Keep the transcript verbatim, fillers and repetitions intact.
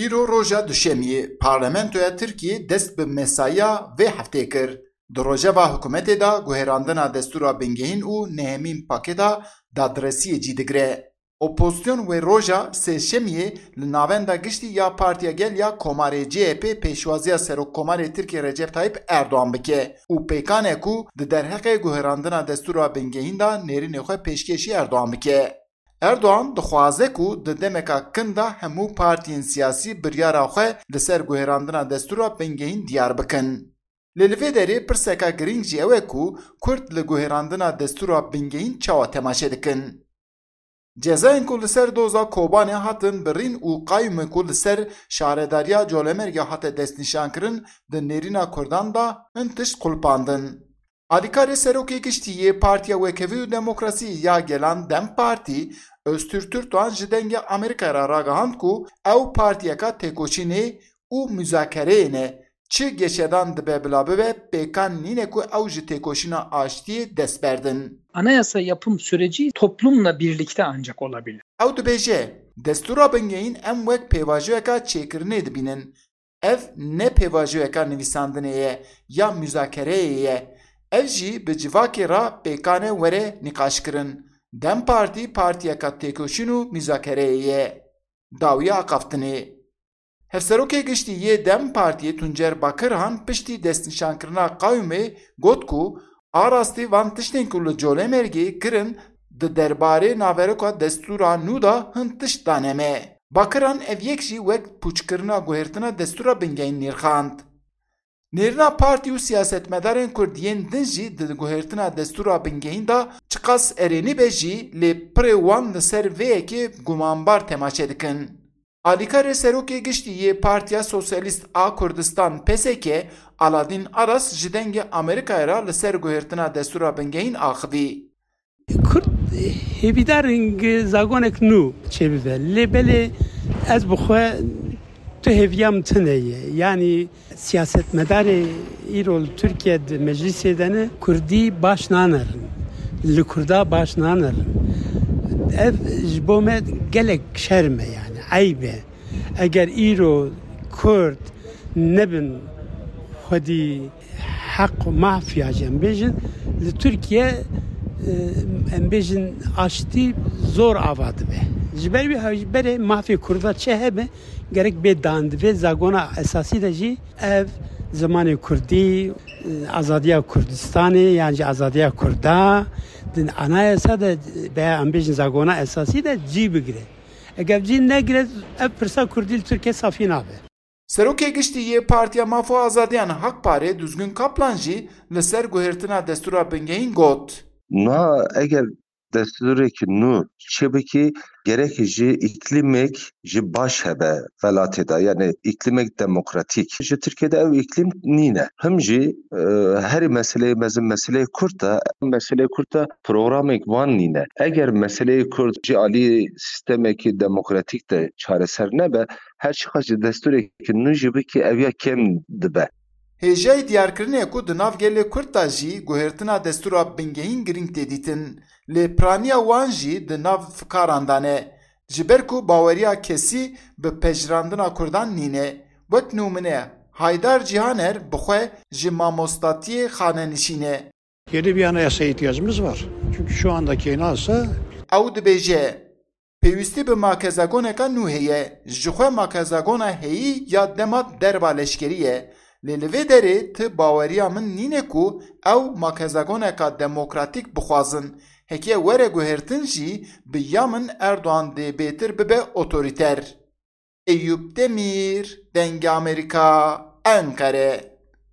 Îro roja Duşemiyê, Parlamentoya Tirkiyê dest bi mesaiya vê heftê kir. Di rojeva hikûmetê de guherandina destûra bingehîn û nehemîn pakêta dadresiyê cî digire. Opozîsyon wê roja Sêşemiyê li Navenda Giştî ya Partiya Gel ya Komarê C H P pêşwaziya Serokkomarê Tirkiyê Recep Tayyip Erdogan bike û pêkan e ku di derheqê guherandina destûra bingehîn de nêrînê xwe pêşkêşî Erdogan bike. Erdogan dixwaze ku di demeka kin de hemû partiyên siyasî biryara xwe li ser guherandina destûra bingehîn diyar bikin. Lê li vê derê pirseka girîng jî ew e ku Kurd li guherandina destûra bingehîn çawa temaşe dikin? Cezayên ku li ser doza Kobanê hatin birîn û qayûmê ku li ser şaredariya Colemêrgê hate destnîşankirin di nêrîna Kurdan de hin tişt qulpandin. Alîkarê Serokê Giştî yê Partiya Wekhevî û Demokrasî ya Gelan DEM Partî, Öztürk Türkdoğan ji Dengê Amerîkayê re ragihand ku ew partiyeka têkoşînê û muzakereyê ne. Çi geşedan dibe bila bibe, pêkan nîne ku ew ji têkoşîna aştiyê dest berdin. Anayasa yapım süreci toplumla birlikte ancak olabilir. Ew dibêje, destûra bingehîn em wek pêvajoyeka çêkirinê dibînin. Ev ne pêvajoyeka nivîsandinê ye ya muzakereyê ye. Ev jî bi civakê re pêkan e were nîqaşkirin. DEM Partî partiyeka têkoşîn û muzakereyê ye. Dawiya axaftinê. Hevserokê Giştî yê DEM Partiyê Tuncer Bakirhan piştî destnîşankirina qayûmê got ku a rastî van tiştên ku li Colemêrgê kirin di derbarê naveroka destûra nû de hin tişt dane me. Bakirhan ev yek jî wek pûçkirina guhertina destûra bingehîn nirxand. Nêrîna partî û siyasetmedarên Kurd yên din jî di guhertina destûra bingehîn de çiqas erênî be jî lê pirê wan li ser vê yekê gumanbar temaşe dikin. Alîkarê Serokê Giştî yê Partiya Sosyalîst a Kurdistan, P S K, Aladîn Aras ji Dengê Amerîkayê re li ser guhertina destûra bingehîn axivî. Kurd hêvîdar in zagonek nû çêbibe. Lê belê ez bi xwe tu hêviya min tune ye. Yanî siyasetmedarê îro li Tirkiye di meclîsê de ne, Kurdî baş nanerin. Li Kurda baş nanerin. Ev ji bo me gelek şerm e, yanî eyb e. Eger îro Kurd nebin xwedî heq û maf ya jî em bêjin, li Tirkiye, e, em bêjin aştî zor ava dibe. Ji ber wî hewce berê mafê Kurda çi hebe, gerek bê dan di vê zagona esasî de jî ev zimanê Kurdî, e, azadiya Kurdistanê yan jî azadiya Kurda di anayasa de veya em bêjin zagona esasî de cî bigire. Eger cî negire, ev pirsa Kurdî li Tirkiye safî nabe. Serokê Giştî yê Partiya Maf û Azadiyan Hak Parê Duzgin Kaplan jî li ser guhertina destûra bingehîn got. Na eger destûrekî nû çêbikî, gerek ji îklîmek ji baş hebe welatê de, yanî îklîmek demokratîk. Ji Tirkiye de ew îklîm nîne. Him jî, e, herî meseleyê mezin meseleyê Kurd e. Meseleyê Kurd e, programek wan nîne. Eger meseleyê Kurd ji alî sîstemekî demokratîk de çareser nebe, her çiqas ji destûrekî nû jî bikî, ew ya kêm dibe. Hêjayî diyarkirinê ku di nav gelê Kurd de jî guhertina destûra bingehîn girîng tê dîtin, lê piraniya wan jî di nav fikaran de ne. Ji ber ku baweriya kesî bi pejirandina Kurdan nîne. Wek nimûne, Haydar Cîhaner bi xwe ji mamostatiyê xanenişîn e. Yeni bir anayasaya ihtiyacımız var. Çünkü şu andaki anayasa Ew dibêje, pêwîstî bi makezagoneka nû heye. Ji xwe makezagona heyî ya dema derva leşkerî ye. Lê li vê derê ti baweriya min nîne ku ew makezagoneka demokratîk bixwazin. Heke were guhertin jî bi ya min Erdogan dê bêtir bibe otorîter. Eyûp Demîr, Dengê Amerîka, Enqere.